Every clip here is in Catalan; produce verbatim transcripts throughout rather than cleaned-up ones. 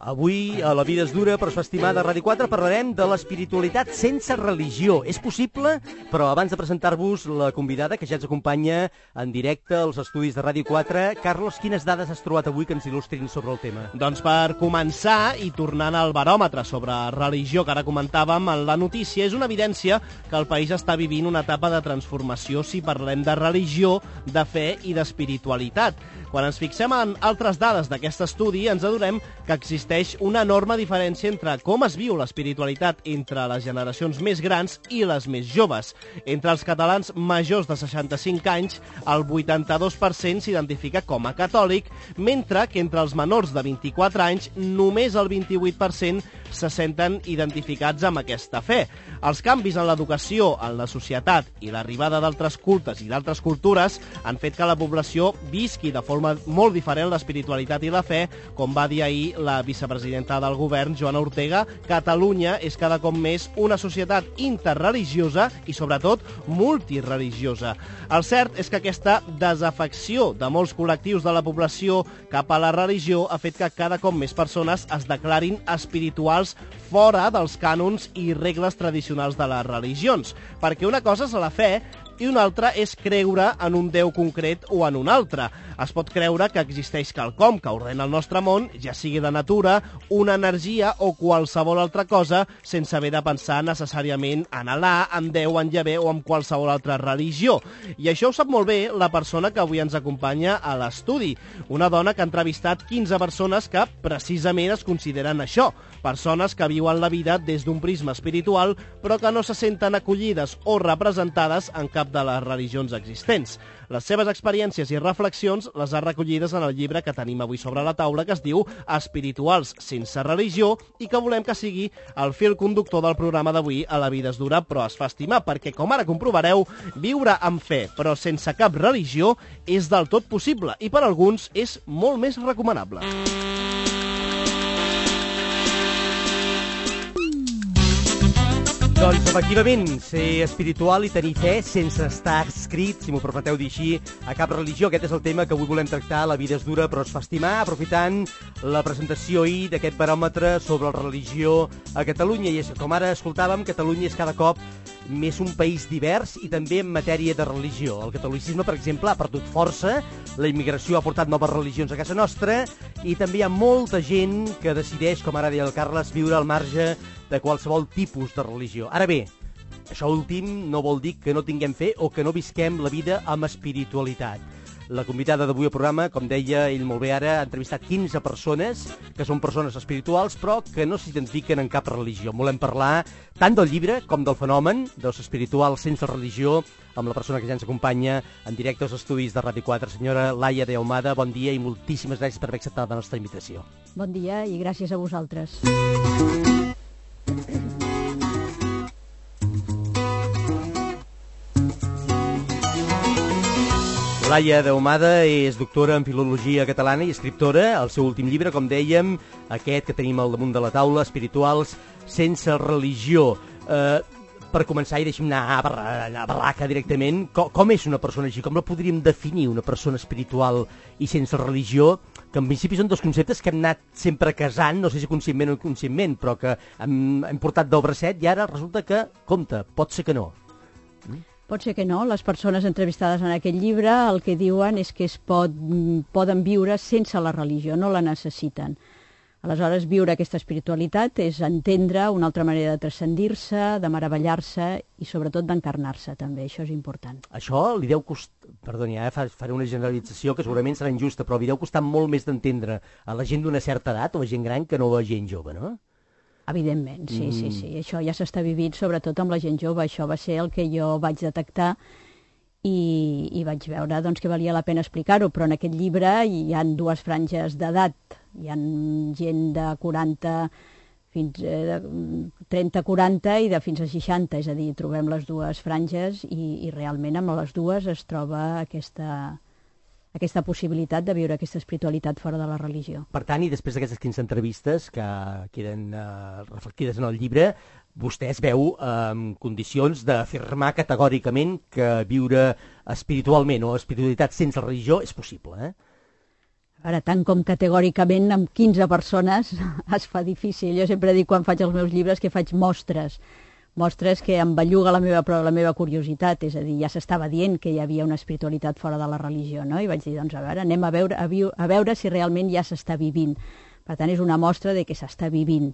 Avui, a La vida és dura, però es fa estimar de Ràdio quatre, parlarem de l'espiritualitat sense religió. És possible, però abans de presentar-vos la convidada, que ja ens acompanya en directe als estudis de Ràdio quatre, Carlos, quines dades has trobat avui que ens il·lustrin sobre el tema? Doncs per començar, i tornant al baròmetre sobre religió que ara comentàvem, en la notícia és una evidència que el país està vivint una etapa de transformació si parlem de religió, de fe i d'espiritualitat. Quan ens fixem en altres dades d'aquest estudi, ens adonem que existeix una enorme diferència entre com es viu l'espiritualitat entre les generacions més grans i les més joves. Entre els catalans majors de seixanta-cinc anys, el vuitanta-dos per cent s'identifica com a catòlic, mentre que entre els menors de vint-i-quatre anys només el vint-i-vuit per cent se senten identificats amb aquesta fe. Els canvis en l'educació, en la societat i l'arribada d'altres cultes i d'altres cultures han fet que la població visqui de forma molt diferent l'espiritualitat i la fe. Com va dir ahir la vicepresidenta del govern, Joana Ortega, Catalunya és cada cop més una societat interreligiosa i, sobretot, multireligiosa. El cert és que aquesta desafecció de molts col·lectius de la població cap a la religió ha fet que cada cop més persones es declarin espirituals fora dels cànons i regles tradicionals de les religions, perquè una cosa és la fe i una altra és creure en un Déu concret o en un altre. Es pot creure que existeix quelcom que ordena el nostre món, ja sigui de natura, una energia o qualsevol altra cosa, sense haver de pensar necessàriament en Alà, en Déu, en Yahvé o en qualsevol altra religió. I això ho sap molt bé la persona que avui ens acompanya a l'estudi, una dona que ha entrevistat quinze persones que precisament es consideren això, persones que viuen la vida des d'un prisma espiritual, però que no se senten acollides o representades en cap de les religions existents. Les seves experiències i reflexions les ha recollides en el llibre que tenim avui sobre la taula, que es diu Espirituals sense religió, i que volem que sigui el fil conductor del programa d'avui a La vida és dura, però es fa estimar, perquè, com ara comprovareu, viure amb fe, però sense cap religió, és del tot possible, i per alguns és molt més recomanable. Doncs, efectivament, ser espiritual i tenir fe sense estar escrit, si m'ho permeteu dir així, a cap religió. Aquest és el tema que avui volem tractar. La vida és dura, però es fa estimar, aprofitant la presentació ahir d'aquest baròmetre sobre la religió a Catalunya. I és, com ara escoltàvem, Catalunya és cada cop més un país divers i també en matèria de religió. El catolicisme, per exemple, ha perdut força, la immigració ha portat noves religions a casa nostra i també hi ha molta gent que decideix, com ara deia el Carles, viure al marge de qualsevol tipus de religió. Ara bé, això últim no vol dir que no tinguem fe o que no visquem la vida amb espiritualitat. La convidada d'avui al programa, com deia ell molt bé ara, ha entrevistat quinze persones que són persones espirituals però que no s'identifiquen en cap religió. Volem parlar tant del llibre com del fenomen dels espirituals sense religió amb la persona que ja ens acompanya en directe als estudis de Ràdio quatre, senyora Laia de Ahumada. Bon dia i moltíssimes gràcies per haver acceptat la nostra invitació. Bon dia i gràcies a vosaltres. Laia de Ahumada és doctora en Filologia Catalana i escriptora. El seu últim llibre, com dèiem, aquest que tenim al damunt de la taula, Espirituals sense religió. Eh, per començar, i deixem anar a barraca directament, com, com és una persona així? Com la podríem definir, una persona espiritual i sense religió? Que en principi són dos conceptes que hem anat sempre casant, no sé si conscientment o inconscientment, però que hem, hem portat del bracet i ara resulta que, compte, pot ser que no. Mm? Pot ser que no. Les persones entrevistades en aquest llibre el que diuen és que es pot, poden viure sense la religió, no la necessiten. Aleshores, viure aquesta espiritualitat és entendre una altra manera de transcendir-se, de meravellar-se i sobretot d'encarnar-se també, això és important. Això li deu costar, perdoni, eh, faré una generalització que segurament serà injusta, però li deu costar molt més d'entendre a la gent d'una certa edat o a gent gran que no a gent jove, no? Evidentment, sí, mm. sí, sí. Això ja s'està vivint sobretot amb la gent jove. Això va ser el que jo vaig detectar i, i vaig veure doncs, que valia la pena explicar-ho, però en aquest llibre hi ha dues franges d'edat. Hi ha gent de quaranta fins a trenta a quaranta i de fins a seixanta, és a dir, trobem les dues franges i, i realment amb les dues es troba aquesta, aquesta possibilitat de viure aquesta espiritualitat fora de la religió. Per tant, i després d'aquestes quinze entrevistes que queden uh, reflectides en el llibre, vostè es veu en eh, condicions d'afirmar categòricament que viure espiritualment o espiritualitat sense religió és possible, eh? Ara, tant com categòricament amb quinze persones es fa difícil. Jo sempre dic quan faig els meus llibres que faig mostres, mostres que em belluga la meva, la meva curiositat, és a dir, ja s'estava dient que hi havia una espiritualitat fora de la religió, no? I vaig dir, doncs a veure, anem a veure, a, viu, a veure si realment ja s'està vivint. Per tant, és una mostra de que s'està vivint.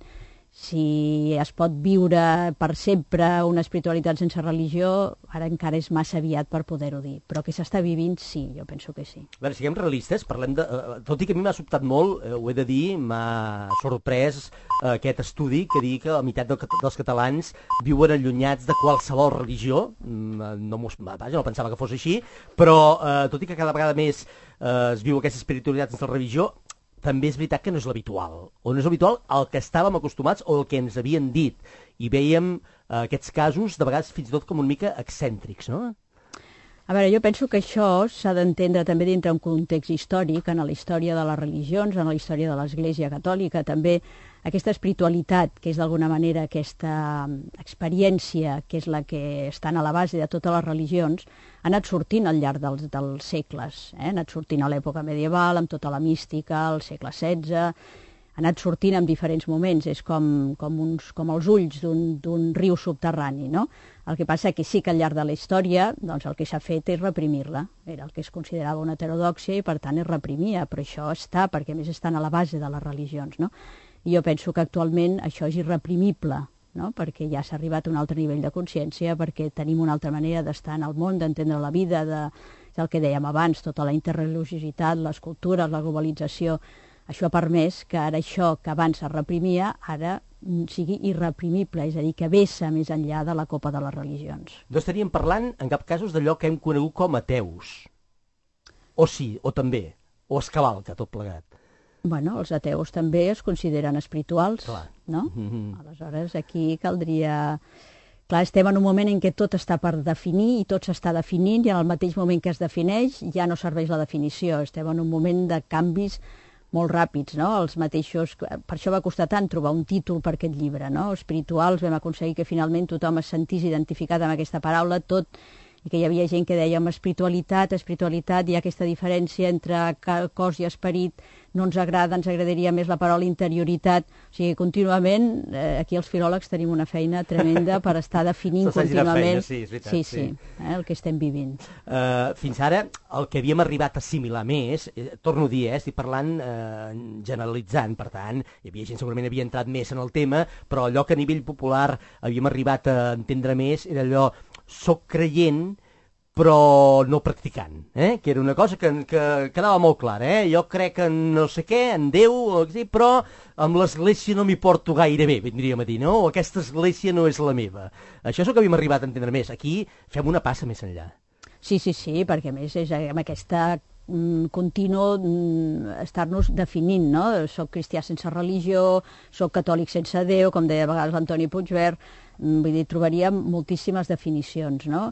Si es pot viure per sempre una espiritualitat sense religió, ara encara és massa aviat per poder-ho dir. Però que s'està vivint, sí, jo penso que sí. A veure, siguem realistes, parlem de... Tot i que a mi m'ha sobtat molt, eh, ho he de dir, m'ha sorprès eh, aquest estudi que diu que la meitat del, dels catalans viuen allunyats de qualsevol religió. No, vaja, no pensava que fos així, però eh, tot i que cada vegada més eh, es viu aquesta espiritualitat sense religió, també és veritat que no és l'habitual, o no és l'habitual el que estàvem acostumats o el que ens havien dit, i vèiem eh, aquests casos de vegades fins i tot com una mica excèntrics, no? A veure, jo penso que això s'ha d'entendre també dintre un context històric, en la història de les religions, en la història de l'Església Catòlica, també aquesta espiritualitat, que és d'alguna manera aquesta experiència, que és la que està a la base de totes les religions, ha anat sortint al llarg dels, dels segles. Eh? Ha anat sortint a l'època medieval, amb tota la mística, al segle setze, ha anat sortint en diferents moments, és com, com, uns, com els ulls d'un riu subterrani, no? El que passa que sí que al llarg de la història doncs el que s'ha fet és reprimir-la. Era el que es considerava una heterodòxia i per tant es reprimia, però això està, perquè a més estan a la base de les religions, no? I jo penso que actualment això és irreprimible, no? Perquè ja s'ha arribat a un altre nivell de consciència, perquè tenim una altra manera d'estar en el món, d'entendre la vida, de, del que dèiem abans, tota la interreligiositat, les cultures, la globalització. Això ha permès que ara això que abans es reprimia, ara sigui irreprimible, és a dir, que vessa més enllà de la copa de les religions. No estaríem parlant, en cap cas, d'allò que hem conegut com ateus. O sí, o també, o es cavalca tot plegat. Bueno, els ateus també es consideren espirituals, clar, no? Mm-hmm. Aleshores, aquí caldria... Clar, estem en un moment en què tot està per definir i tot s'està definint i en el mateix moment que es defineix ja no serveix la definició. Estem en un moment de canvis molt ràpids, no? Els mateixos... Per això va costar tant trobar un títol per aquest llibre, no? Espirituals, vam aconseguir que finalment tothom es sentís identificat amb aquesta paraula, tot... i que hi havia gent que deia espiritualitat, espiritualitat, hi ha aquesta diferència entre cos i esperit, no ens agrada, ens agradaria més la paraula interioritat, o sigui, contínuament, eh, aquí els filòlegs tenim una feina tremenda per estar definint contínuament feina, sí, és veritat, sí, sí, sí. Eh, el que estem vivint. Uh, fins ara, el que havíem arribat a assimilar més, eh, torno a dir, eh, estic parlant eh, generalitzant, per tant, hi havia gent segurament havia entrat més en el tema, però allò que a nivell popular havíem arribat a entendre més era allò soc creient però no practicant, eh? Que era una cosa que, que quedava molt clara. Eh? Jo crec en no sé què, en Déu, però amb l'església no m'hi porto gaire bé, vindríem a dir, no? O aquesta església no és la meva. Això és el que havíem arribat a entendre més. Aquí fem una passa més enllà. Sí, sí, sí, perquè a més és amb aquesta mm, continu mm, estar-nos definint, no? Soc cristià sense religió, soc catòlic sense Déu, com deia a vegades l'Antoni Puigvert, mm, vull dir, trobaríem moltíssimes definicions, no?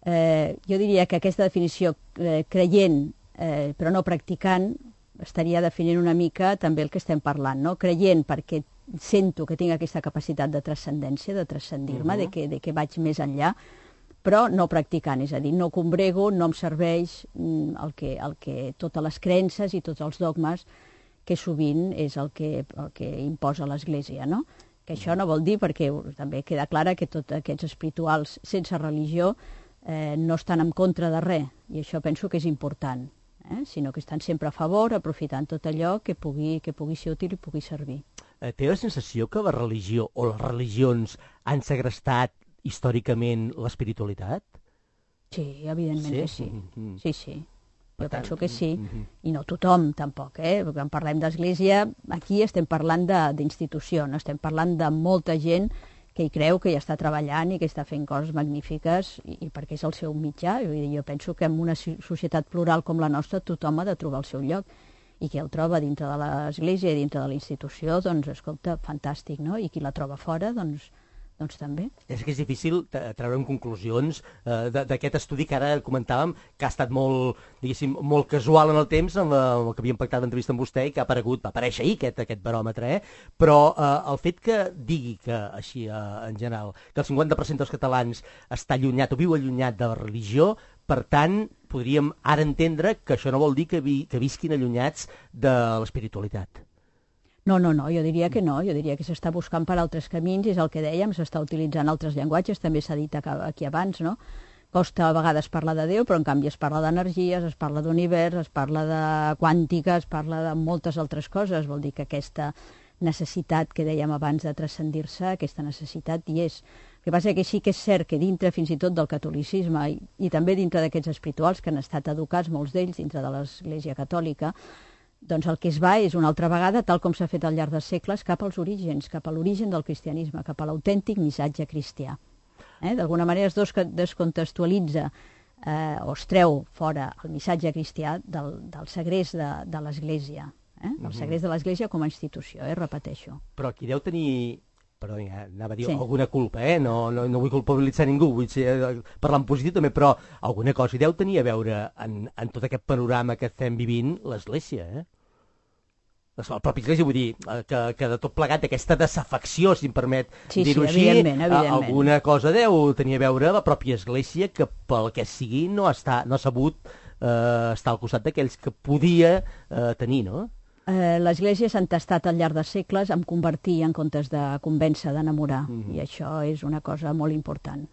Eh, jo diria que aquesta definició eh, creient eh, però no practicant estaria definint una mica també el que estem parlant, no? Creient perquè sento que tinc aquesta capacitat de transcendència, de transcendir-me, uh-huh. de, que, de que vaig més enllà, però no practicant, és a dir, no combrego, no em serveix mm, el que, el que, totes les creences i tots els dogmes que sovint és el que, el que imposa l'Església, no? Que això no vol dir, perquè també queda clara que tots aquests espirituals sense religió Eh, no estan en contra de res, i això penso que és important, eh? Sinó que estan sempre a favor, aprofitant tot allò que pugui, que pugui ser útil i pugui servir. Eh, té la sensació que la religió o les religions han segrestat històricament l'espiritualitat? Sí, evidentment sí? que sí. Mm-hmm. Sí, sí. Jo tant, penso que sí, mm-hmm. i no tothom tampoc, eh? Perquè quan parlem d'església, aquí estem parlant d'institució, no estem parlant de molta gent que hi creu, que hi està treballant i que està fent coses magnífiques i, i perquè és el seu mitjà. Jo, jo penso que en una societat plural com la nostra tothom ha de trobar el seu lloc i qui el troba dintre de l'església i dintre de la institució, doncs, escolta, fantàstic, no? I qui la troba fora, doncs, doncs també. És que és difícil treure'n conclusions eh, d'aquest estudi que ara comentàvem, que ha estat molt, diguéssim, molt casual en el temps, en, la, en el que havíem pactat d'entrevista amb vostè i que ha aparegut, va aparèixer ahir aquest, aquest baròmetre, eh? Però eh, el fet que digui que, així eh, en general, que el cinquanta per cent dels catalans està allunyat o viu allunyat de la religió, Per tant, podríem ara entendre que això no vol dir que, vi, que visquin allunyats de l'espiritualitat. No, no, no, jo diria que no, jo diria que s'està buscant per altres camins, és el que dèiem, s'està utilitzant altres llenguatges, també s'ha dit aquí abans, no? Costa a vegades parlar de Déu, però en canvi es parla d'energies, es parla d'univers, es parla de quàntica, es parla de moltes altres coses, vol dir que aquesta necessitat que dèiem abans de transcendir-se, aquesta necessitat hi és. El que passa que sí que és cert que dintre fins i tot del catolicisme i, i també dintre d'aquests espirituals que han estat educats, molts d'ells, dintre de l'Església Catòlica, doncs el que es va és una altra vegada, tal com s'ha fet al llarg dels segles, cap als orígens, cap a l'origen del cristianisme, cap a l'autèntic missatge cristià. Eh? D'alguna manera es descontextualitza eh, o es treu fora el missatge cristià del, del segrest de, de l'Església, eh? el segrest de l'Església com a institució, eh? repeteixo. Però qui deu tenir... Perdó, ja, anava a dir sí. alguna culpa, eh? No, no, no vull culpabilitzar ningú, vull ser, parlar en positiu també, però alguna cosa hi deu tenir a veure en, en tot aquest panorama que estem vivint l'Església, eh? La pròpia Església, vull dir, que, que de tot plegat aquesta desafecció, si em permet sí, dir-ho sí, així, evidentment, evidentment. alguna cosa deu tenir a veure la pròpia Església que pel que sigui no, està, no ha sabut eh, estar al costat d'aquells que podia eh, tenir, no? Eh, L'Església s'ha entestat al llarg dels segles en convertir en comptes de convèncer, d'enamorar, mm-hmm. i això és una cosa molt important.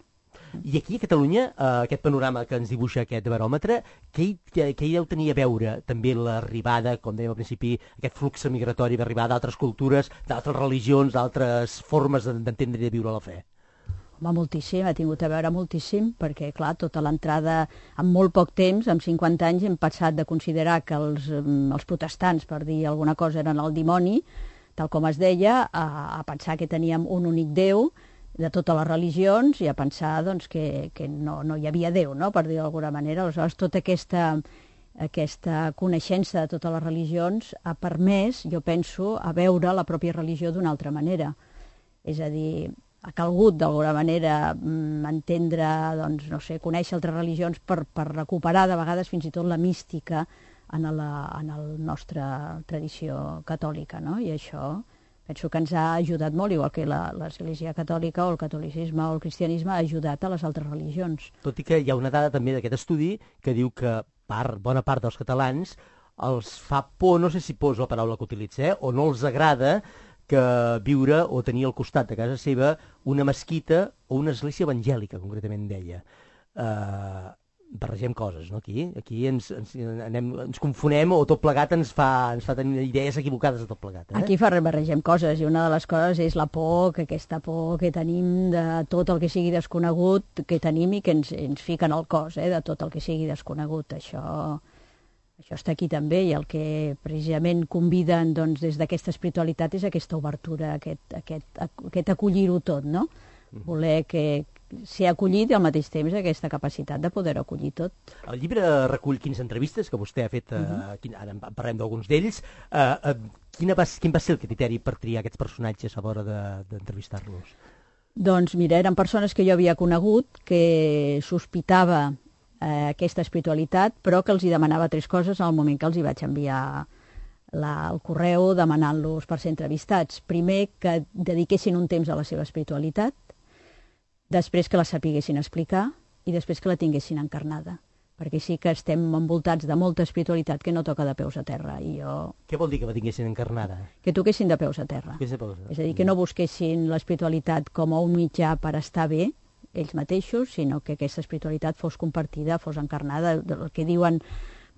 I aquí a Catalunya, eh, aquest panorama que ens dibuixa aquest baròmetre, què hi, què hi deu tenir a veure també l'arribada, com dèiem al principi, aquest flux migratori d'arribar d'altres cultures, d'altres religions, d'altres formes d'entendre i de viure la fe? Home, moltíssim, ha tingut a veure moltíssim, perquè, clar, tota l'entrada, en molt poc temps, en cinquanta anys, hem passat de considerar que els, els protestants, per dir alguna cosa, eren el dimoni, tal com es deia, a, a pensar que teníem un únic Déu de totes les religions i a pensar doncs, que, que no, no hi havia Déu, no?, per dir d'alguna manera. Aleshores, tota aquesta, aquesta coneixença de totes les religions ha permès, jo penso, a veure la pròpia religió d'una altra manera. És a dir, ha calgut d'alguna manera entendre, doncs, no sé, conèixer altres religions per, per recuperar de vegades fins i tot la mística en la en el nostra tradició catòlica, no? I això penso que ens ha ajudat molt, igual que l'Església Catòlica o el catolicisme o el cristianisme ha ajudat a les altres religions. Tot i que hi ha una dada també d'aquest estudi que diu que part, bona part dels catalans els fa por, no sé si por és la paraula que utilitza, eh, o no els agrada que viure o tenir al costat de casa seva una mesquita o una església evangèlica, concretament deia. Uh, barregem coses, no, aquí? Aquí ens, ens, anem, ens confonem o tot plegat ens fa, ens fa tenir idees equivocades de tot plegat. Eh? Aquí fa barregem coses, i una de les coses és la por, que aquesta por que tenim de tot el que sigui desconegut, que tenim i que ens, ens fiquen al cos, eh, de tot el que sigui desconegut. Això... Això està aquí també, i el que precisament conviden doncs, des d'aquesta espiritualitat és aquesta obertura, aquest, aquest, aquest acollir-ho tot, no? Voler que ser acollit i al mateix temps aquesta capacitat de poder acollir tot. El llibre recull quinze entrevistes que vostè ha fet, uh, quin, ara en parlem d'alguns d'ells. Uh, uh, quina va, quin va ser el criteri per triar aquests personatges a l'hora d'entrevistar-los? De, doncs mira, eren persones que jo havia conegut, que sospitava Eh, aquesta espiritualitat, però que els hi demanava tres coses en el moment que els hi vaig enviar la, el correu demanant-los per ser entrevistats. Primer, que dediquessin un temps a la seva espiritualitat, després que la sapiguessin explicar i després que la tinguessin encarnada, perquè sí que estem envoltats de molta espiritualitat que no toca de peus a terra. I jo... Què vol dir que la tinguessin encarnada? Que toquessin de peus a terra. Que de peus a terra. És a dir, que no busquessin l'espiritualitat com a un mitjà per estar bé, ells mateixos, sinó que aquesta espiritualitat fos compartida, fos encarnada. El que diuen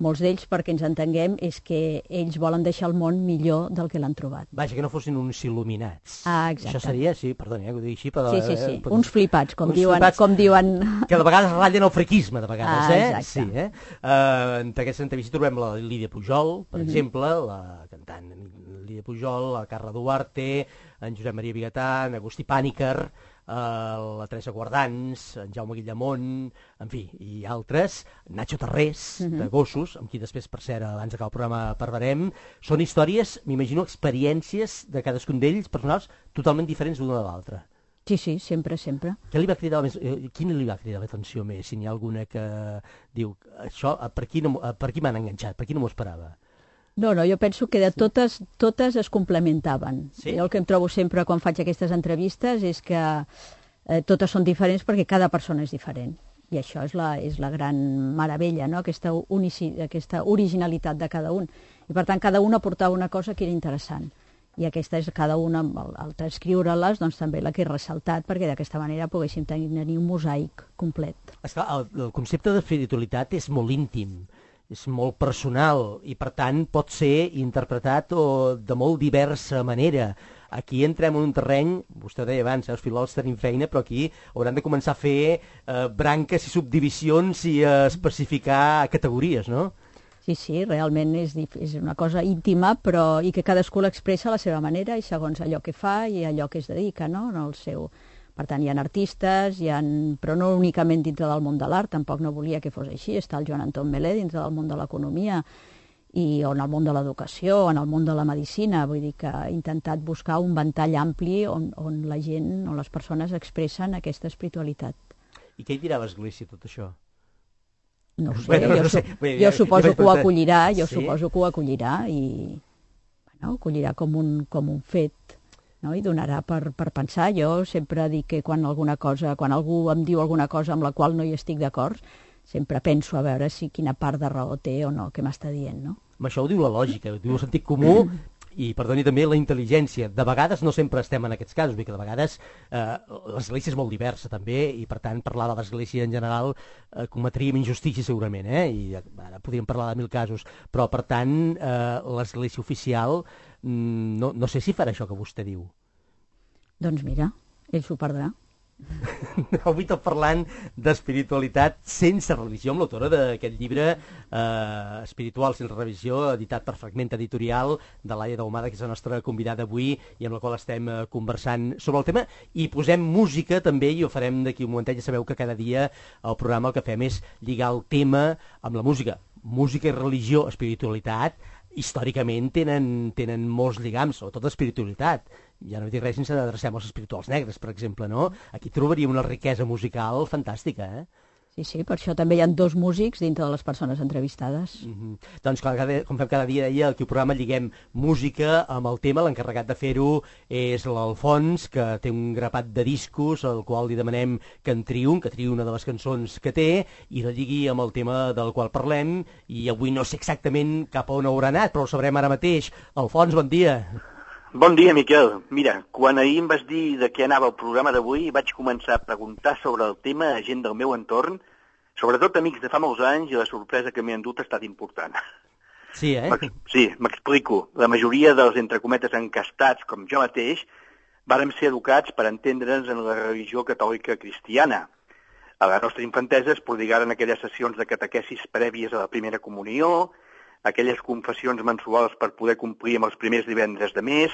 molts d'ells, perquè ens entenguem, és que ells volen deixar el món millor del que l'han trobat. Vaja, que no fossin uns il·luminats. Ah, exacte. Això seria, sí, perdoni, eh, que ho dic així, però... Sí, sí, sí, eh, uns flipats, com, uns diuen, flipats com diuen... Que de vegades ratllen el frequisme, de vegades, ah, eh? Exacte. Sí, eh? Uh, en aquesta entrevista trobem la Lídia Pujol, per mm-hmm. exemple, la cantant Lídia Pujol, la Carla Duarte, en Josep Maria Vigatà, en Agustí Pàniker, Uh, la Teresa Guardans, en Jaume Guillamont, en fi, i altres, Nacho Tarrés, uh-huh. de Gossos, amb qui després, per cert, abans d'acabar el programa parlarem. Són històries, m'imagino, experiències de cadascun d'ells, personals, totalment diferents l'una de l'altra. Sí, sí, sempre, sempre. Què li va cridar més, eh, quina li va cridar l'atenció més, si n'hi ha alguna que diu, això, per aquí, no, per aquí m'han enganxat, per aquí no m'ho esperava? No, no, jo penso que de totes, totes es complementaven. Sí? Jo el que em trobo sempre quan faig aquestes entrevistes és que eh, totes són diferents perquè cada persona és diferent. I això és la, és la gran meravella, no? Aquesta, unici, aquesta originalitat de cada un. I per tant, cada un aportava una cosa que era interessant. I aquesta és cada una, al, al transcriure-les, doncs també la que he ressaltat, perquè d'aquesta manera poguéssim tenir un mosaic complet. Esclar, el, el concepte d'espiritualitat és molt íntim, és molt personal, i per tant pot ser interpretat o, de molt diversa manera. Aquí entrem en un terreny, vostè deia abans, eh, els filòlegs tenim feina, però aquí hauran de començar a fer eh, branques i subdivisions i a especificar categories, no? Sí, sí, realment és, és una cosa íntima, però i que cadascú l'expressa a la seva manera i segons allò que fa i allò que es dedica, no? En el seu... Per tant, hi ha artistes, hi ha... però no únicament dintre del món de l'art, tampoc no volia que fos així. Està el Joan Anton Melé dintre del món de l'economia, i o en el món de l'educació, o en el món de la medicina. Vull dir que ha intentat buscar un ventall ampli on, on la gent, on les persones expressen aquesta espiritualitat. I què hi dirà l'Església, tot això? No ho sé, bueno, jo, no sé. Su Bé, jo ja, suposo ja que ho acollirà, jo sí? suposo que ho acollirà i bueno, ho acollirà com un, com un fet, no? I donarà per, per pensar. Jo sempre dic que quan alguna cosa, quan algú em diu alguna cosa amb la qual no hi estic d'acord, sempre penso a veure si quina part de raó té o no, què m'està dient, no? Això ho diu la lògica, ho diu el sentit comú i, perdoni, també la intel·ligència. De vegades no sempre estem en aquests casos, vull dir que de vegades eh, l'Església és molt diversa també i per tant parlar de l'Església en general eh, cometríem injustícia segurament, eh? I ara podríem parlar de mil casos, però per tant eh, l'Església oficial mm, no, no sé si farà això que vostè diu. Doncs mira, ell s'ho perdrà. Avui tot parlant d'espiritualitat sense religió, amb l'autora d'aquest llibre eh, Espiritual sense religió, editat per Fragment Editorial, de Laia Daumada, que és la nostra convidada avui i amb la qual estem eh, conversant sobre el tema, i posem música també, i ho farem d'aquí un momentet. Ja sabeu que cada dia al programa el que fem és lligar el tema amb la música. Música i religió, espiritualitat, històricament tenen, tenen molts lligams, sobretot l'espiritualitat. Ja no dic res sense adrecem als espirituals negres, per exemple, no? Aquí trobaríem una riquesa musical fantàstica, eh? Sí, sí, per això també hi ha dos músics dintre de les persones entrevistades. Mm-hmm. Doncs, clar, cada, com fem cada dia, deia, aquí al programa lliguem música amb el tema. L'encarregat de fer-ho és l'Alfons, que té un grapat de discos, al qual li demanem que en triï un, que triï una de les cançons que té, i la lligui amb el tema del qual parlem, i avui no sé exactament cap a on haurà anat, però ho sabrem ara mateix. Alfons, bon dia. Bon dia, Miquel. Mira, quan ahir em vas dir de què anava el programa d'avui, vaig començar a preguntar sobre el tema a gent del meu entorn, sobretot amics de fa molts anys, i la sorpresa que m'he endut ha estat important. Sí, eh? Sí, m'explico. La majoria dels, entre cometes, encastats, com jo mateix, vàrem ser educats per entendre'ns en la religió catòlica cristiana. A la nostra infantesa es prodigaren aquelles sessions de catequesis prèvies a la primera comunió, aquelles confessions mensuals per poder complir amb els primers divendres de mes,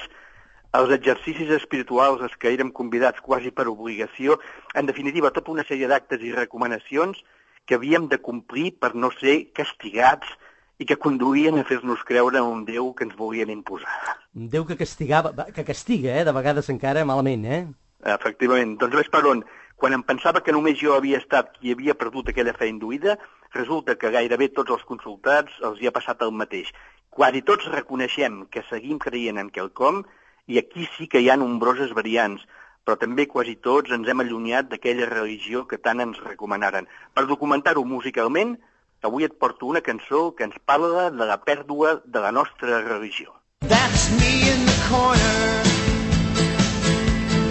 els exercicis espirituals als que érem convidats quasi per obligació, en definitiva, tota una sèrie d'actes i recomanacions que havíem de complir per no ser castigats i que conduïen a fer-nos creure en un Déu que ens volien imposar. Un Déu que castigava, que castiga, eh? De vegades encara malament, eh? Efectivament. Doncs ves per on. Quan em pensava que només jo havia estat qui havia perdut aquella fe induïda, resulta que gairebé tots els consultats els hi ha passat el mateix. Quasi tots reconeixem que seguim creient en quelcom i aquí sí que hi ha nombroses variants, però també quasi tots ens hem allunyat d'aquella religió que tant ens recomanaren. Per documentar-ho musicalment, avui et porto una cançó que ens parla de la pèrdua de la nostra religió. That's me in the corner.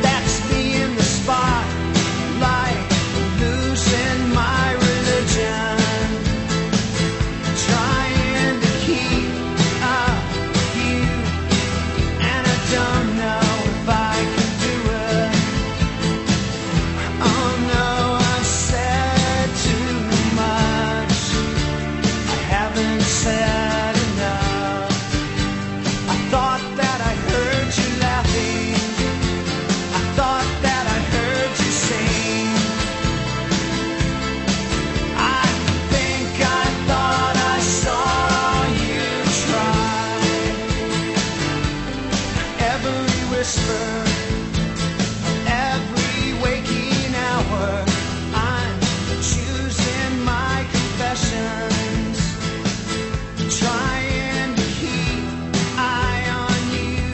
That's me in the spot. Like losing my religion, trying to keep up you, and I don't know if I can do it. Oh no, I've said too much, I haven't said enough. I thought that I heard you laughing, I thought that I heard you sing. Every waking hour I'm choosing my confessions, trying to keep eye on you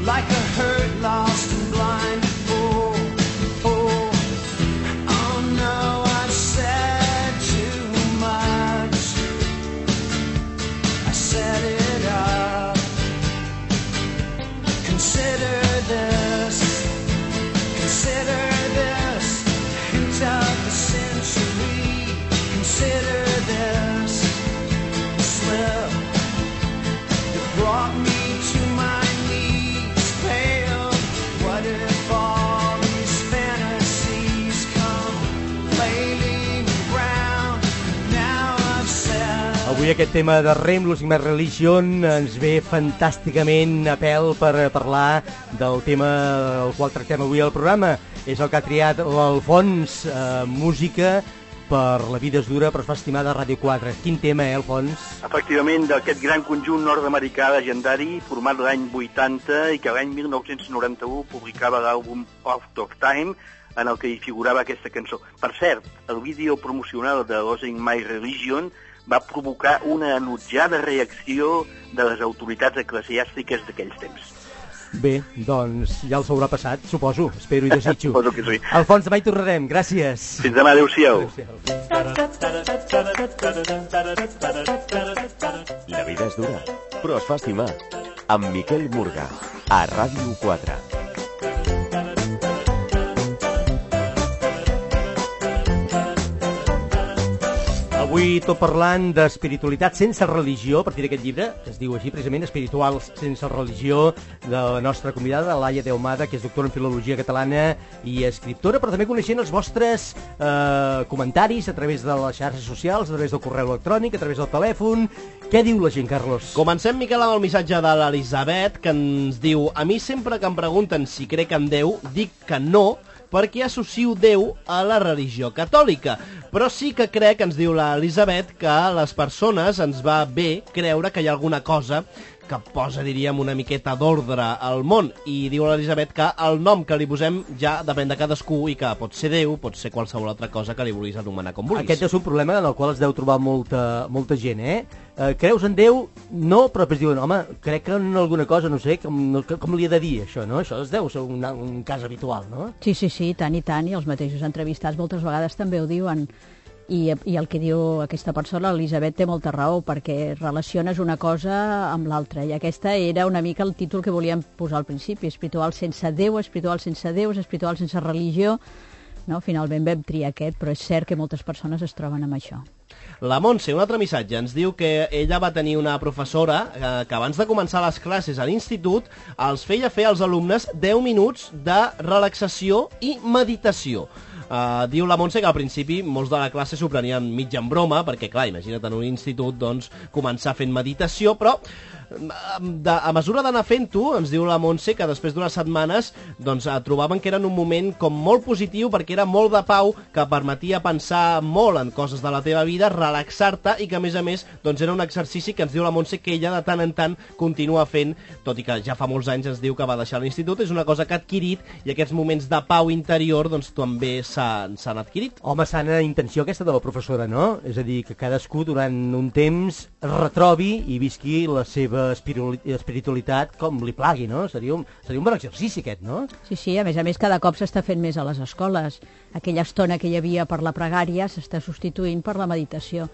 like a hurt, lost and blind fool. Oh, oh no, I've Consider this, consider this, hint of the century. Consider this slip that brought me to my knees, pale. What if all these fantasies come flailing around? Now I've said. Avui aquest tema de Rem, Losing My Religion, ens ve fantàsticament a pèl per parlar del tema el qual tractem avui al programa. És el que ha triat l'Alfons, eh, música per La vida és dura però es fa estimar de Ràdio quatre. Quin tema, eh, Alfons? Efectivament, d'aquest gran conjunt nord-americà legendari, format l'any vuitanta i que l'any mil nou-cents noranta-u publicava l'àlbum Out of Time, en el que hi figurava aquesta cançó. Per cert, el vídeo promocional de Losing My Religion va provocar una enutjada reacció de les autoritats eclesiàstiques d'aquells temps. Bé, doncs ja els haurà passat, suposo, espero i desitjo. Suposo que sí. Alfons, demà hi tornarem, gràcies. Fins demà, adéu-siau. La vida és dura, però es fa estimar. Amb Miquel Murga, a Ràdio quatre. Avui tot parlant d'espiritualitat sense religió, a partir d'aquest llibre, que es diu així precisament, Espirituals sense religió, de la nostra convidada, Laia de Ahumada, que és doctora en Filologia Catalana i escriptora, però també coneixent els vostres eh, comentaris a través de les xarxes socials, a través del correu electrònic, a través del telèfon. Què diu la gent, Carlos? Comencem, Miquel, amb el missatge de l'Elisabet, que ens diu: a mi sempre que em pregunten si crec en Déu, dic que no, perquè associo Déu a la religió catòlica. Però sí que crec, ens diu l'Elisabet, que a les persones ens va bé creure que hi ha alguna cosa que posa, diríem, una miqueta d'ordre al món. I diu l'Elisabet que el nom que li posem ja depèn de cadascú i que pot ser Déu, pot ser qualsevol altra cosa que li vulguis anomenar com vulguis. Aquest és un problema en el qual es deu trobar molta, molta gent, eh? eh? Creus en Déu? No, però després diuen, home, crec en alguna cosa, no sé, com, com li he de dir això, no? Això es deu ser un, un cas habitual, no? Sí, sí, sí, tant i tant, i els mateixos entrevistats moltes vegades també ho diuen. I, i el que diu aquesta persona, l'Elisabet, té molta raó, perquè relaciones una cosa amb l'altra, i aquesta era una mica el títol que volíem posar al principi: espiritual sense Déu, espiritual sense déus, espiritual sense religió. No? Finalment vam triar aquest, però és cert que moltes persones es troben amb això. La Montse, un altre missatge, ens diu que ella va tenir una professora eh, que abans de començar les classes a l'institut els feia fer als alumnes deu minuts de relaxació i meditació. Uh, diu la Montse que al principi molts de la classe s'ho prenien mig en broma, perquè clar, imagina't en un institut doncs, començar fent meditació, però de, a mesura d'anar fent-ho, ens diu la Montse que després d'unes setmanes doncs, trobaven que era un moment com molt positiu, perquè era molt de pau, que permetia pensar molt en coses de la teva vida, relaxar-te, i que a més a més doncs, era un exercici que ens diu la Montse que ella de tant en tant continua fent, tot i que ja fa molts anys ens diu que va deixar l'institut. És una cosa que ha adquirit, i aquests moments de pau interior doncs, també s'han adquirit. Home, sana intenció aquesta de la professora, no? És a dir, que cadascú durant un temps retrobi i visqui la seva espiritualitat com li plagui, no? Seria un, seria un bon exercici aquest, no? Sí, sí, a més a més cada cop s'està fent més a les escoles. Aquella estona que hi havia per la pregària s'està substituint per la meditació.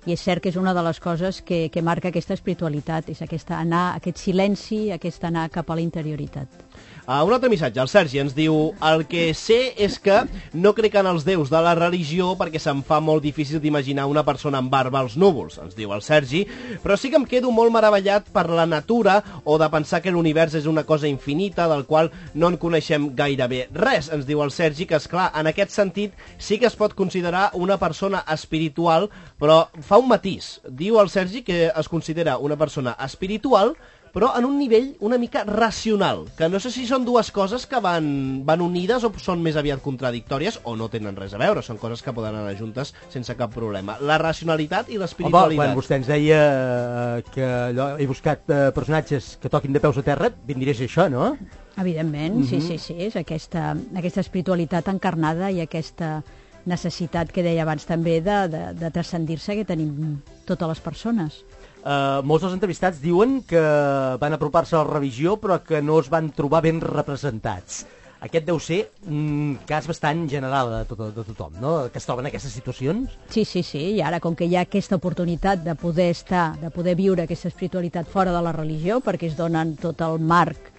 I és cert que és una de les coses que, que marca aquesta espiritualitat, és aquesta anar, aquest silenci, aquest anar cap a la interioritat. Uh, un altre missatge, el Sergi ens diu: el que sé és que no crec en els déus de la religió perquè se'm fa molt difícil d'imaginar una persona amb barba als núvols, ens diu el Sergi, però sí que em quedo molt meravellat per la natura o de pensar que l'univers és una cosa infinita del qual no en coneixem gairebé res, ens diu el Sergi, que esclar, en aquest sentit sí que es pot considerar una persona espiritual, però fa un matís. Diu el Sergi que es considera una persona espiritual però en un nivell una mica racional, que no sé si són dues coses que van, van unides o són més aviat contradictòries o no tenen res a veure, són coses que poden anar juntes sense cap problema. La racionalitat i l'espiritualitat. Home, quan vostè ens deia que allò, he buscat eh, personatges que toquin de peus a terra, ben diré això, no? Evidentment, mm-hmm. sí, sí, sí, és aquesta, aquesta espiritualitat encarnada i aquesta necessitat que deia abans també de, de, de transcendir-se que tenim totes les persones. Uh, molts dels entrevistats diuen que van apropar-se a la religió però que no es van trobar ben representats. Aquest deu ser un cas bastant general de, tot, de tothom, no? Que es troben en aquestes situacions. Sí, sí, sí, i ara com que hi ha aquesta oportunitat de poder estar, de poder viure aquesta espiritualitat fora de la religió, perquè es donen tot el marc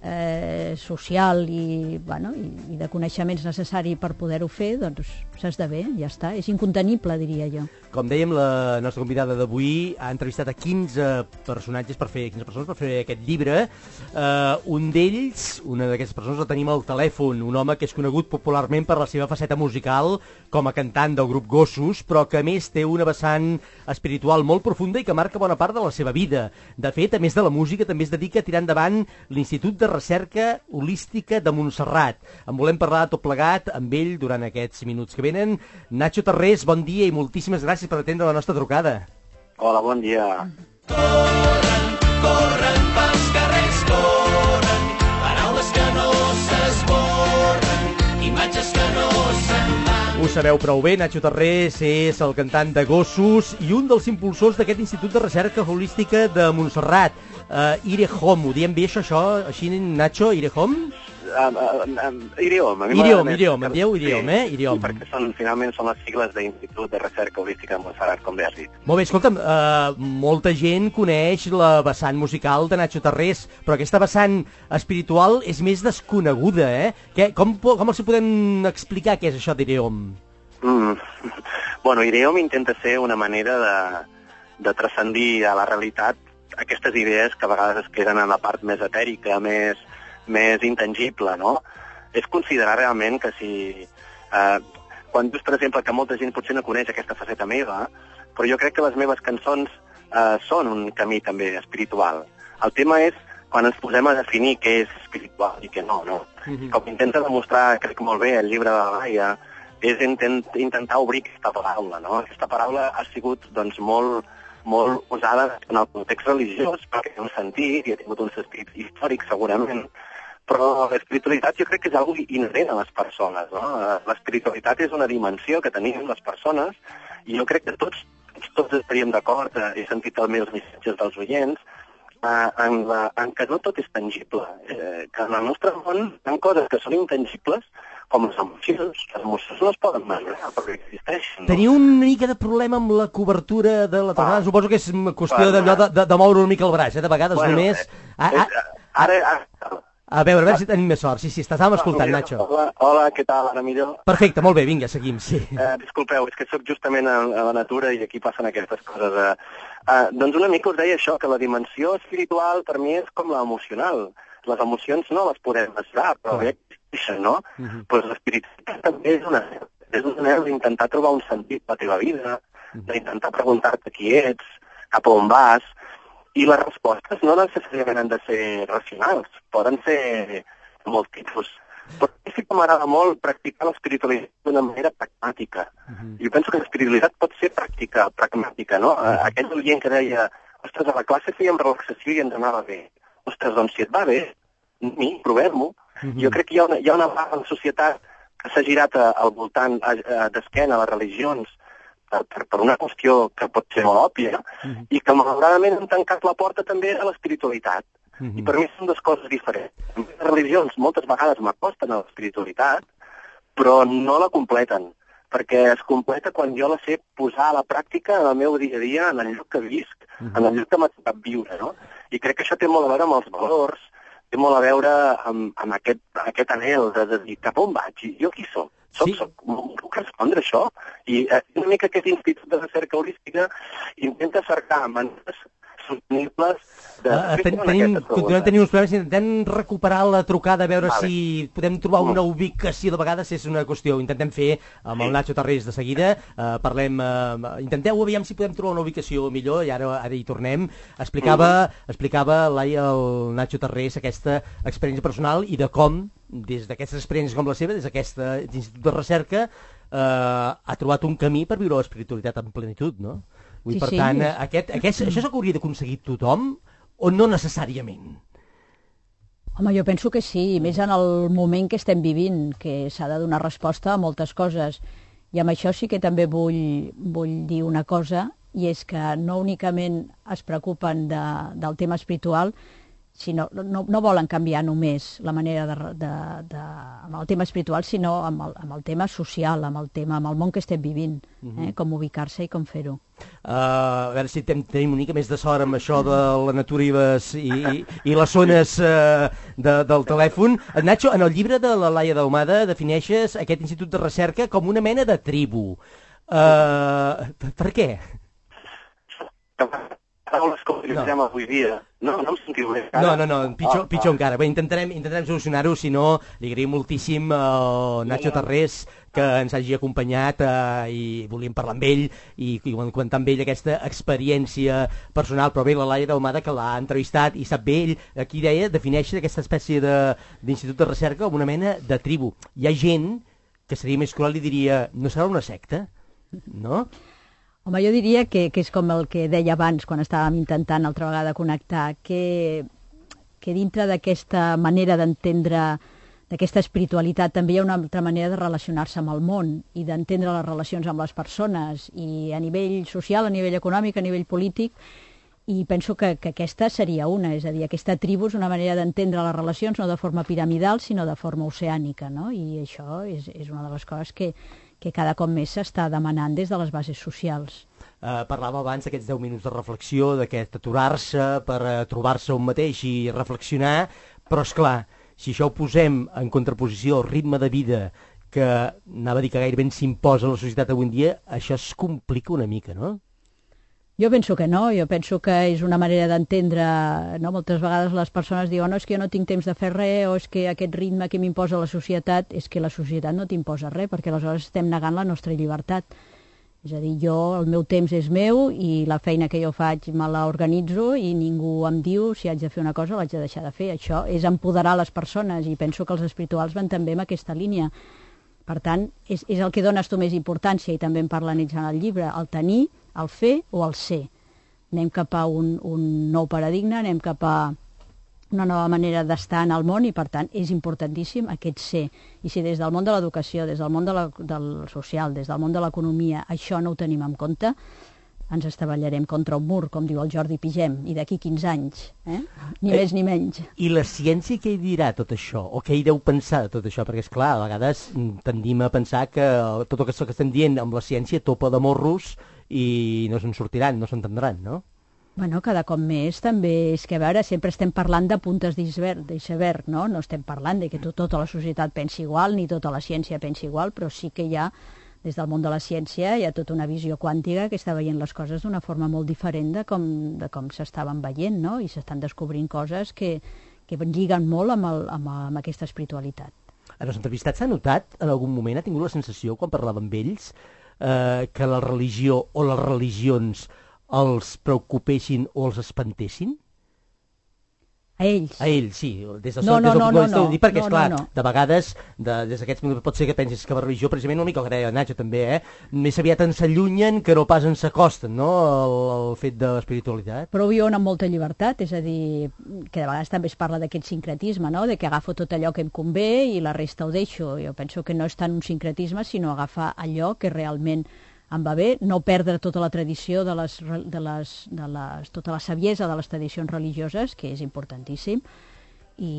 eh, social i, bueno, i, i de coneixements necessari per poder-ho fer, doncs s'esdevé, ja està. És incontenible, diria jo. Com dèiem, la nostra convidada d'avui ha entrevistat a quinze personatges per fer, quinze persones per fer aquest llibre. Uh, un d'ells, una d'aquestes persones, la tenim al telèfon, un home que és conegut popularment per la seva faceta musical com a cantant del grup Gossos, però que a més té una vessant espiritual molt profunda i que marca bona part de la seva vida. De fet, a més de la música, també es dedica a tirar endavant l'Institut de Recerca Holística de Montserrat. En volem parlar tot plegat amb ell durant aquests minuts que venen. Nacho Tarrés, bon dia i moltíssimes gràcies per atendre la nostra trucada. Hola, bon dia. Corren, corren pels carrers, corren, paraules que no s'esborren, imatges que no se'n van. Ho sabeu prou bé, Nacho Tarrés és el cantant de Gossos i un dels impulsors d'aquest Institut de Recerca Holística de Montserrat. Uh, Irehom, ho diem bé això, això així, Nacho, Irehom? Um, um, um, Idiom. A mi Idiom, m'agrada més idiom, que- em dieu idiom, eh? Idiom. Sí, perquè són, finalment són les sigles d'Institut de Recerca Holística de Montserrat, com bé has dit. Molt bé, escolta'm, uh, molta gent coneix la vessant musical de Nacho Tarrés, però aquesta vessant espiritual és més desconeguda, eh? Què, com, po- com els hi podem explicar què és això d'Ireom? Mm. Bueno, Idiom intenta ser una manera de, de transcendir a la realitat aquestes idees que a vegades es queden en la part més etèrica, més, més intangible, no? És considerar realment que si... Eh, quan dius, per exemple, que molta gent potser no coneix aquesta faceta meva, però jo crec que les meves cançons eh, són un camí també espiritual. El tema és quan ens posem a definir què és espiritual i què no, no? Mhm. Com intenta demostrar, crec molt bé, el llibre de la Laia, és intent, intentar obrir aquesta paraula, no? Aquesta paraula ha sigut, doncs, molt, molt usada en el context religiós, perquè té un sentit i ha tingut un sentit històric, segurament, però l'espiritualitat jo crec que és algo inherent a les persones, no? L'espiritualitat és una dimensió que tenim les persones i jo crec que tots, tots, tots estaríem d'acord, eh, he sentit també els missatges dels oients, eh, en, la, en que no tot és tangible, eh, que en el nostre món hi ha coses que són intangibles, com les emocions. Les emocions no es poden mesurar perquè existeixen. No? Teniu una mica de problema amb la cobertura de la tornada? Ah. Suposo que és qüestió Va, d'allò va. de, de, de moure una mica el braç, eh? De vegades Bueno, només... eh, Ah, eh, ah, Ara, ara, a veure, a veure si tenim més sort. Sí, sí, estàvem escoltant, Mira, Nacho. Hola, hola, què tal? Ara millor? Perfecte, molt bé, vinga, seguim, sí. Eh, disculpeu, és que sóc justament a, a la natura i aquí passen aquestes coses. Eh. Eh, doncs una mica us deia això, que la dimensió espiritual per mi és com l'emocional. Les emocions no les podem mesurar, però ja existeixen, no? Mhm. Pues l'espiritualitat també és una és una manera d'intentar trobar un sentit a la teva vida, d'intentar preguntar-te qui ets, cap a on vas, i les respostes no necessàriament han de ser racionals, poden ser de molt tipus. Però sí que m'agrada molt practicar l'espiritualitat d'una manera pragmàtica. Mhm. Jo penso que l'espiritualitat pot ser pràctica, pragmàtica, no? Uh, aquell oient que deia, ostres, a la classe fèiem relaxació i ens anava bé. Ostres, doncs si et va bé, mi, provem-ho. Mhm. Jo crec que hi ha una, hi ha una part de la societat que s'ha girat a, al voltant, a, a, d'esquena a les religions, per, per, per una qüestió que pot ser molt òbvia, Mhm. i que malauradament han tancat la porta també a l'espiritualitat. Mhm. I per mi són dues coses diferents. Les religions moltes vegades m'acosten a l'espiritualitat, però no la completen, perquè es completa quan jo la sé posar a la pràctica en el meu dia a dia, en el lloc que visc, Mhm. en el lloc que m'ha tocat viure, no? I crec que això té molt a veure amb els valors, té molt a veure amb, amb aquest, aquest anhel de, de dir cap on vaig, i jo qui soc? Soc, Sí. soc, puc respondre això? I eh, una mica aquest Institut de Recerca Holística intenta cercar maneres sostenibles de... Uh, fer ten, front a tenim, aquestes continuem preguntes. tenint uns problemes, intentem recuperar la trucada, a veure Vale. si podem trobar Mm. una ubicació. De vegades és una qüestió, intentem fer amb el Sí. Nacho Tarrés de seguida, uh, parlem, uh, intenteu aviam si podem trobar una ubicació millor, i ara, ara hi tornem. Explicava, Mm. explicava Laia, el Nacho Tarrés, aquesta experiència personal i de com, des d'aquestes experiències com la seva, des d'aquest institut de recerca, uh, ha trobat un camí per viure l'espiritualitat en plenitud, no? Vull, Sí, per sí. tant, aquest, aquest, això és el que hauria d'aconseguir tothom o no necessàriament? Home, jo penso que sí, i més en el moment que estem vivint, que s'ha de donar resposta a moltes coses. I amb això sí que també vull, vull dir una cosa, i és que no únicament es preocupen de, del tema espiritual, sinó, no, no volen canviar només la manera de, de, de, amb el tema espiritual, sinó amb el, amb el tema social, amb el tema, amb el món que estem vivint, eh? Com ubicar-se i com fer-ho. Uh, a veure si tem, tenim una mica més de sort amb això de la natura i les, i, i, i les zones uh, de, del telèfon. Nacho, en el llibre de la Laia Daumada defineixes aquest institut de recerca com una mena de tribu. Uh, per què? Paraules que utilitzem no. avui dia. No, no em sentiu bé. No, no, no, pitjor, ah, pitjor ah. encara. Bé, intentarem, intentarem solucionar-ho, si no, li agraïm moltíssim al Nacho Tarrés que ens hagi acompanyat eh, i volíem parlar amb ell i, i comentar amb ell aquesta experiència personal, però bé, la Laia Daumada que l'ha entrevistat i sap bé, ell aquí deia, defineix aquesta espècie d'institut de, de recerca com una mena de tribu. Hi ha gent que seria més cruel i diria, no serà una secta? No? Home, jo diria que, que és com el que deia abans, quan estàvem intentant altra vegada connectar, que, que dintre d'aquesta manera d'entendre, d'aquesta espiritualitat, també hi ha una altra manera de relacionar-se amb el món i d'entendre les relacions amb les persones, i a nivell social, a nivell econòmic, a nivell polític, i penso que, que aquesta seria una, és a dir, aquesta tribu és una manera d'entendre les relacions no de forma piramidal, sinó de forma oceànica, no? I això és, és una de les coses que, que cada cop més s'està demanant des de les bases socials. Uh, parlàvem abans d'aquests deu minuts de reflexió, d'aquest aturar-se per uh, trobar-se un mateix i reflexionar, però és clar, si això ho posem en contraposició al ritme de vida que anava a dir que gairebé s'imposa a la societat avui en dia, això es complica una mica, no? Jo penso que no, jo penso que és una manera d'entendre, no? Moltes vegades les persones diuen no, és que jo no tinc temps de fer res, o és que aquest ritme que m'imposa la societat, és que la societat no t'imposa res, perquè aleshores estem negant la nostra llibertat. És a dir, jo, el meu temps és meu i la feina que jo faig me la organitzo i ningú em diu si haig de fer una cosa o l'haig de deixar de fer. Això és empoderar les persones i penso que els espirituals van també en aquesta línia. Per tant, és, és el que dones tu més importància, i també en parlen ells en el llibre, el tenir, el fer o el ser. Anem cap a un, un nou paradigma, anem cap a una nova manera d'estar en el món i, per tant, és importantíssim aquest ser. I si des del món de l'educació, des del món de la, del social, des del món de l'economia, això no ho tenim en compte, ens estavellarem contra un mur, com diu el Jordi Pigem, i d'aquí quinze anys, eh? Ni eh, més ni menys. I la ciència què hi dirà tot això? O què hi deu pensar de tot això? Perquè, esclar, a vegades tendim a pensar que tot això que estem dient amb la ciència topa de morros i no se'n sortiran, no s'entendran, no? Bueno, cada cop més també és que, a veure, sempre estem parlant de puntes d'iceberg, no? No estem parlant de que tot, tota la societat pensi igual, ni tota la ciència pensi igual, però sí que hi ha, des del món de la ciència, hi ha tota una visió quàntica que està veient les coses d'una forma molt diferent de com, de com s'estaven veient, no? I s'estan descobrint coses que, que lliguen molt amb, el, amb, amb aquesta espiritualitat. En els entrevistats s'ha notat, en algun moment, ha tingut la sensació, quan parlava amb ells, eh, que la religió o les religions els preocupessin o els espantessin? A ells? A ells, sí. Des del no, no, des del no, punt de vista, no, no, perquè, no, esclar, no, no. de vegades, de, des d'aquests minuts, pot ser que pensis que la religió, precisament una mica el que deia Nacho també, eh? Més aviat ens s'allunyen que no pas ens s'acosten, no?, el, el fet de l'espiritualitat. Però ho viuen amb molta llibertat, és a dir, que de vegades també es parla d'aquest sincretisme, no?, de que agafo tot allò que em convé i la resta ho deixo. Jo penso que no és tant un sincretisme, sinó agafar allò que realment em va bé, no perdre tota la tradició de les, de les, de les, tota la saviesa de les tradicions religioses, que és importantíssim, i,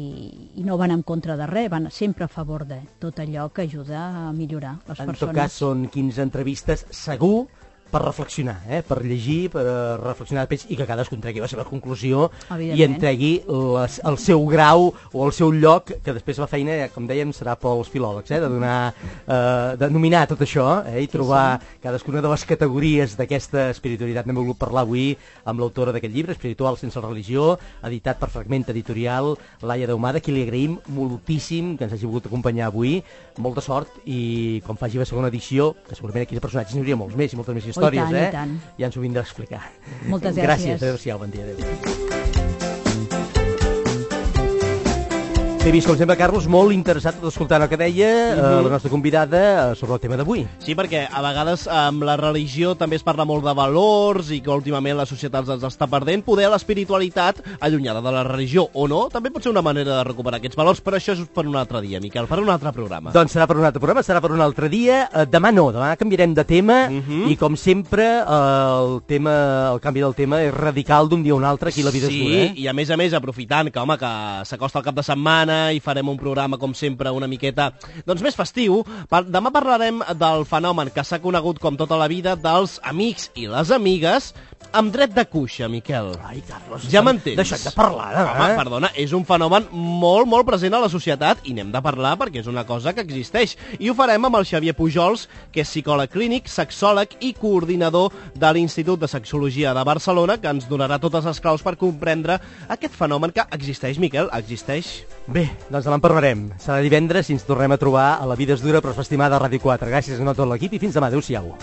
i no van en contra de res, van sempre a favor de tot allò que ajuda a millorar les en persones. En tot cas, són quinze entrevistes, segur, per reflexionar, eh? Per llegir, per reflexionar després, i que cadascú en tregui la seva conclusió i en tregui les, el seu grau o el seu lloc, que després la feina, com dèiem, serà pels filòlegs, eh? De donar, eh, de nominar tot això, eh? I trobar sí, sí. cadascuna de les categories d'aquesta espiritualitat. N'hem volgut parlar avui amb l'autora d'aquest llibre, Espiritual sense religió, editat per Fragment Editorial, Laia Daumada, qui li agraïm moltíssim que ens hagi volgut acompanyar avui. Molta sort, i quan faci la segona edició, que segurament aquí de personatges n'hi hauria molts més i moltes més històries, oh, tant, eh? Ja ens ho vindrà a explicar. Moltes gràcies. Gràcies, adéu-siau, bon dia, adéu. T'he vist, com sempre, Carlos, molt interessat d'escoltar el que deia uh, uh, la nostra convidada uh, sobre el tema d'avui. Sí, perquè a vegades amb la religió també es parla molt de valors i que últimament la societat els està perdent. Poder l'espiritualitat, allunyada de la religió o no, també pot ser una manera de recuperar aquests valors, però això és per un altre dia, Miquel, per un altre programa. Doncs serà per un altre programa, serà per un altre dia. Uh, demà no, demà canviarem de tema uh -huh. i, com sempre, uh, el tema, el canvi del tema és radical d'un dia a un altre aquí a La Vida sí, és Dura. Eh? I a més a més, aprofitant que, home, que s'acosta el cap de setmana i farem un programa, com sempre, una miqueta doncs més festiu. Demà parlarem del fenomen que s'ha conegut com tota la vida dels amics i les amigues amb dret de cuixa, Miquel. Ai, Carlos, ja m'entens? Deixa't de parlar, eh? Home, perdona, és un fenomen molt, molt present a la societat i n'hem de parlar perquè és una cosa que existeix. I ho farem amb el Xavier Pujols, que és psicòleg clínic, sexòleg i coordinador de l'Institut de Sexologia de Barcelona, que ens donarà totes les claus per comprendre aquest fenomen que existeix, Miquel, existeix. Bé, doncs demà en parlarem. Serà divendres i ens tornem a trobar a La Vida és Dura, però es fa estimada a Ràdio quatre. Gràcies a tot l'equip i fins demà. Adéu-siau.